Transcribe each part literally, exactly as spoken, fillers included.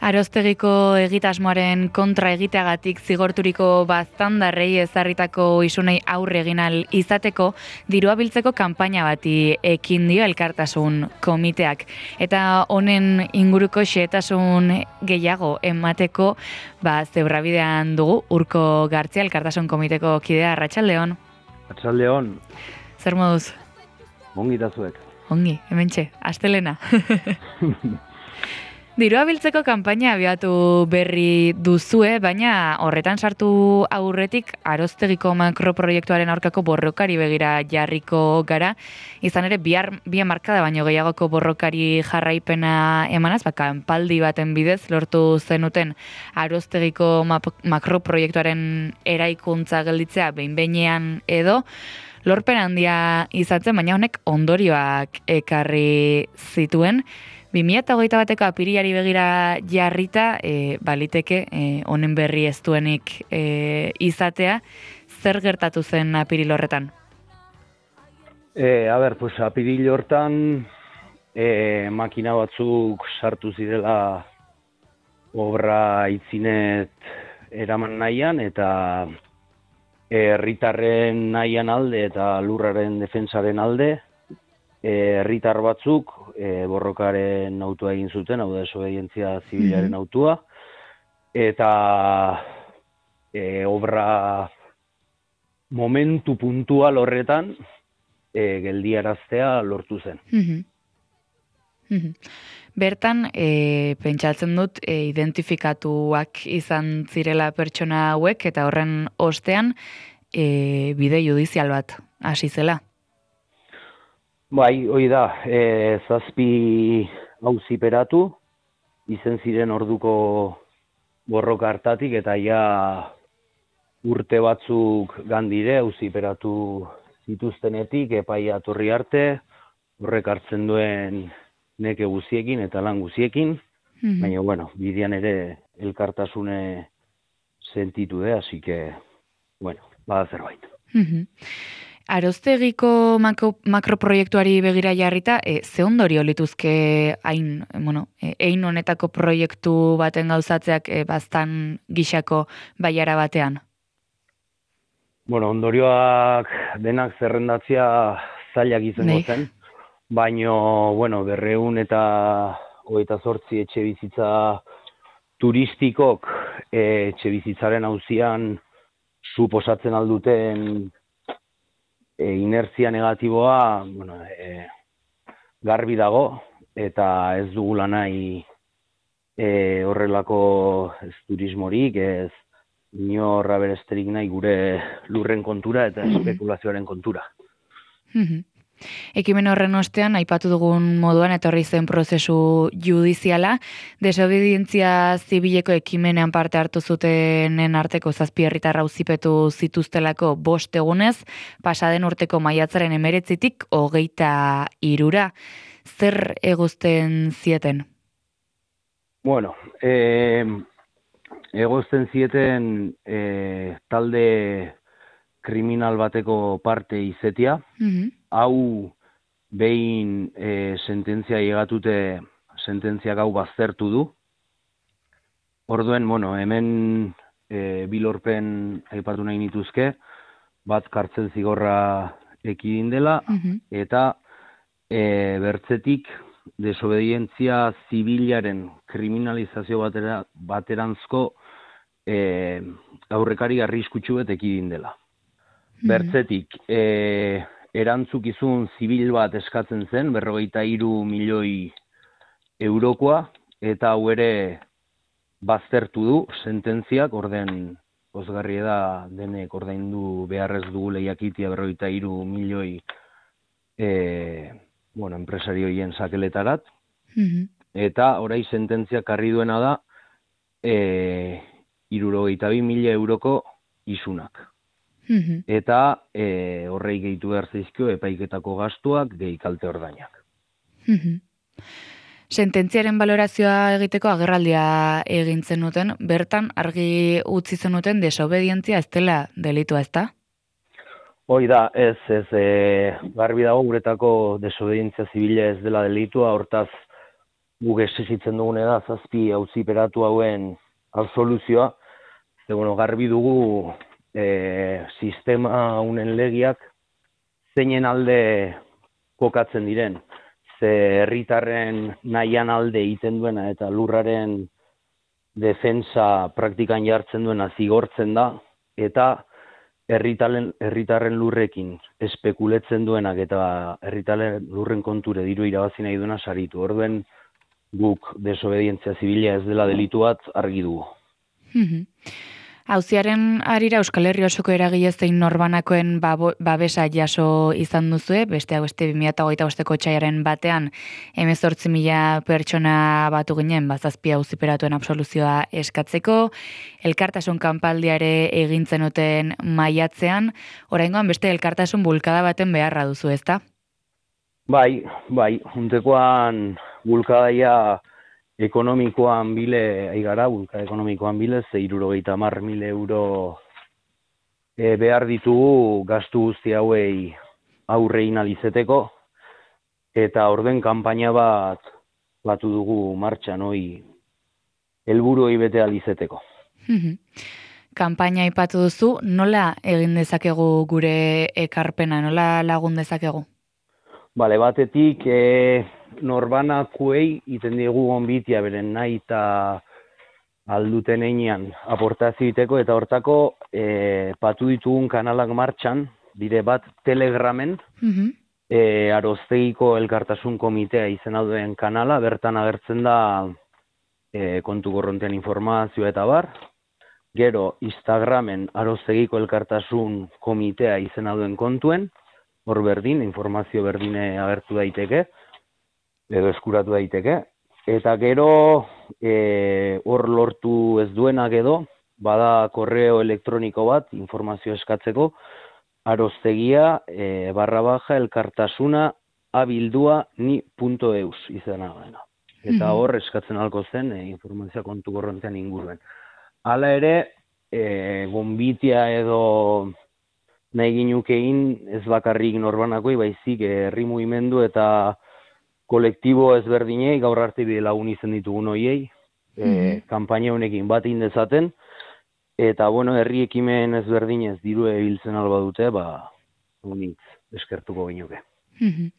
Aroztegiko egitasmoaren kontra egiteagatik zigorturiko baztandarrei ezarritako isunei aurre egin ahal izateko dirua biltzeko kanpaina bati ekin dio Elkartasun Komiteak. Eta honen inguruko xehetasun gehiago emateko ba, zebrabidean dugu Urko Gartzia, Elkartasun Komiteko kidea. Arratsaldeon. Arratsaldeon. Zer moduz? Ongi da zuek. Ongi, hementxe, astelena. Dirua biltzeko kanpaina abiatu berri duzue, baina horretan sartu aurretik Aroztegiko makroproiektuaren aurkako borrokari begira jarriko gara. Izan ere, bihar bi hamarkada baino gehiagoko borrokari jarraipena emanaz, ba, kanpaldi baten bidez lortu zenuten Aroztegiko makroproiektuaren eraikuntza gelditzea behin-behinean edo, lorpen handia izatzen, baina honek ondorioak ekarri zituen. bi mila hogeita bateko apirilari begira jarrita, e, baliteke e, honen berri ez duenik e, izatea. Zer gertatu zen apiril horretan? E, a ber, pues apiril hortan e, makina batzuk sartu zirela obra itzinet eraman nahian, eta herritarren nahian alde eta lurraren defensaren alde, herritar batzuk e, borrokaren autua egin zuten, hau da desobedientzia zibilaren autua, eta e, obra momentu puntual horretan e, geldiaraztea lortu zen. Bertan, e, pentsatzen dut, e, identifikatuak izan zirela pertsona hauek, eta horren ostean e, bide judizial bat hasi zela. Bai, hoi da, e, zazpi auziperatu, izen ziren orduko borroka hartatik, eta ja urte batzuk gandire auziperatu zituztenetik, epaia torri arte, horrek hartzen duen neke guziekin eta lan guziekin, mm-hmm. baina, bueno, bidean ere elkartasune sentitu de, así que, bueno, bada zerbait. Mm-hmm. Aroztegiko makro, makroproiektuari begira jarrita, e, ze ondorio lituzke hain, bueno, ein honetako proiektu baten gauzatzeak e, baztan gixako baiara batean? Bueno, ondorioak denak zerrendatzea zailak izango zen, baino, bueno, berreun eta hogeita zortzi etxe bizitza turistikok e, etxe bizitzaren auzian suposatzen alduten E, inertzia negatiboa, bueno, e, garbi dago, eta ez dugula nahi e, horrelako ez turismorik, ez inorra beresterik nahi gure lurren kontura eta espekulazioaren kontura. Ekimen horren ostean, aipatu dugun moduan, etorri zen prozesu judiziala, desobedientzia zibileko ekimenean parte hartu zutenen arteko zazpi herritar auzipetu zituztelako bost egunez, pasaden urteko maiatzaren emeretzitik hogeita hirura. Zer egozten zieten? Bueno, eh, egozten zieten eh, talde kriminal bateko parte izetia, mm-hmm. hau behin e, sententzia llegatute sententziak hau baztertu du. Orduen, bueno, hemen e, bilorpen aipatu nahi nituzke, bat kartzen zigorra ekidin dela, mm-hmm. eta e, bertzetik desobedientzia zibilaren kriminalizazio batera, baterantzko e, aurrekari arriskutsu bet ekidin dela. Bertzetik, e, erantzukizun zibil bat eskatzen zen, berrogeita hiru milioi eurokoa, eta hau ere baztertu du sententziak, orden pozgarria da denek ordaindu beharrez dugu lehiakitia berrogeita hiru milioi e, bueno, enpresarioien sakeletarat, mm-hmm. eta orai sententziak karri duena da e, hirurogeita bi mila euroko isunak. Mm-hmm. Eta e, horrei gehitu behar zaizkio epaiketako gastuak gehi kalte ordainak. Mm-hmm. Sententziaren balorazioa egiteko agerraldia egin zenuten, bertan argi utzi zenuten desobedientzia ez dela delitua, ezta? Hoi da, ez, ez, e, garbi dago guretako desobedientzia zibila ez dela delitua, hortaz guk exigitzen dugune da zazpi auziperatu hauen absoluzioa, ze bueno, garbi dugu e, sistema honen legiak zeinen alde kokatzen diren, ze herritarren nahian alde egiten duena eta lurraren defensa praktikan jartzen duena zigortzen da, eta herritarren herritarren lurrekin espekuletzen duenak eta herritarren lurren konture diru irabazi nahi duena saritu. Orduen guk desobedientzia zibila ez dela delitu bat argi dugu. Auziaren arira Euskal Herri osoko eragile zein norbanakoen babo, babesa jaso izan duzue, besteak beste bi mila hogeita bosteko otsailaren batean hemezortzi mila pertsona batu ginen bazazpi auziperatuen absoluzioa eskatzeko, elkartasun kanpaldiare egintzen duten maiatzean, oraingoan beste elkartasun bulkada baten beharra duzu, ezta? Bai, bai, juntekoan bulkadaia ekonomikoan bile, aigara, bulka ekonomikoan bile, ze hirurogeita hamar mila euro e, behar ditugu gastu guzti hauei aurre inalizeteko, eta orden kanpaina bat batu dugu martxan hoi helburuei bete alizeteko. Kanpaina aipatu duzu, nola egin dezakegu gure ekarpena, nola lagun dezakegu? Bale, batetik e, norbanakuei iten diegu gonbitia beren nahi eta alduten einean aportazio egiteko, eta hortako e, patu ditugun kanalak martxan, dire bat Telegramen, Mm-hmm. e, Aroztegiko Elkartasun Komitea izena duen kanala, bertan agertzen da e, kontu korrontean informazioa eta bar. Gero Instagramen Aroztegiko Elkartasun Komitea izena duen kontuen, hor berdin, informazio berdine agertu daiteke, edo eskuratu daiteke. Eta gero, e, hor lortu ez duenak edo, bada korreo elektroniko bat, informazio eskatzeko, aroztegia e, barra baja elkartasuna abildua ni punto eus izena dena. Eta hor eskatzen halko zen e, informazioa kontu korrontean inguruen. Hala ere, e, gonbitia edo nahi ginukein ez bakarrik norbanakoi, baizik herri mugimendu eta kolektibo ezberdinei, gaur arte bide lagun izen ditugun hoiei, e, Mhm. kanpaina honekin bat indezaten, eta bueno, herri ekimen ezberdinez diru ebiltzen alba dute, ba, unik eskertuko ginuke. Mhm.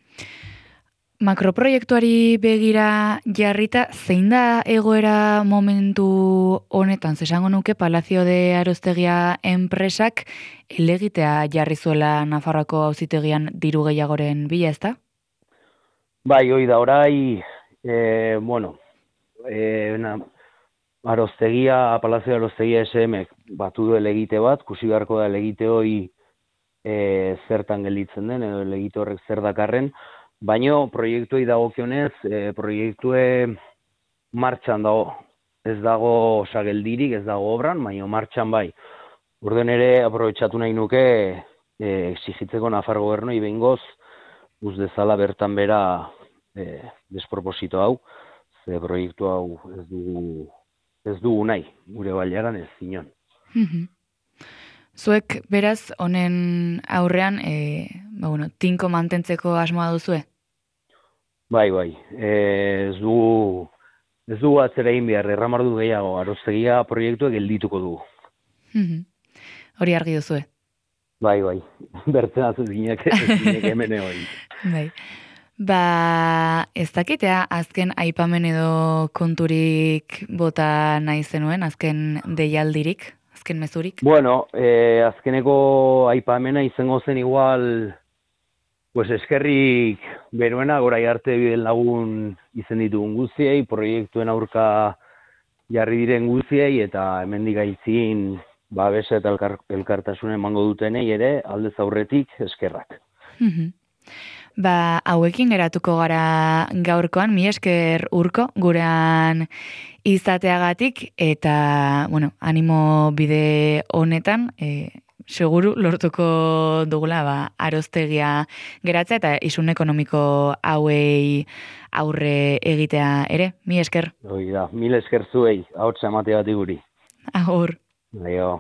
Makroproiektuari begira jarrita, zein da egoera momentu honetan, zesango nuke Palazio de Aroztegia enpresak elegitea jarri zuela Nafarroako auzitegian diru gehiagoren bila, ezta? Bai, hoi da, orai, e, bueno, e, na, Aroztegia, Palazio de Aroztegia S M batu du elegite bat, kusi beharko da elegite hoi e, zertan gelditzen den, edo elegite horrek zer dakarren, baino proiektuei dagokionez, e, proiektue martxan dago, ez dago osa geldirik, ez dago obran, baino martxan bai. Orden ere, aprobetxatu nahi nuke, e, exigitzeko Nafar gobernoi behingoz, uz dezala bertan bera e, desproposito hau, ze proiektu hau ez dugu, ez dugu nahi, gure baliaran ez zinon. Mhm. Zuek beraz honen aurrean e, ba, bueno, tinko mantentzeko asmoa duzue? Bai, bai, e, ez dugu, ez dugu atzera egin behar, erramardu gehiago, Aroztegia proiektuak geldituko dugu. Mhm. Hori argi duzue. Bai, bai, bertzen azu zinek, zinek hemen egoin. Bai. Ba, ez dakitea azken aipamen edo konturik bota nahi zenuen, azken deialdirik, azken mezurik? Bueno, eh, azkeneko aipamena izango zen igual, pues eskerrik beruena, gorai arte biden lagun izen ditugun guztiei, proiektuen aurka jarri diren guztiei, eta hemendik aitzin babesa eta elkar, elkartasuna emango dutenei ere, aldez aurretik eskerrak. Mhm. Ba, hauekin geratuko gara gaurkoan, mi esker Urko, gurean izateagatik, eta, bueno, animo bide honetan, e, seguru lortuko dugula, ba, Aroztegia geratzea eta isun ekonomiko hauei aurre egitea ere, mi esker. Hoi da, mil esker zuei, ahotsa emateagatik guri. Agur. Aio.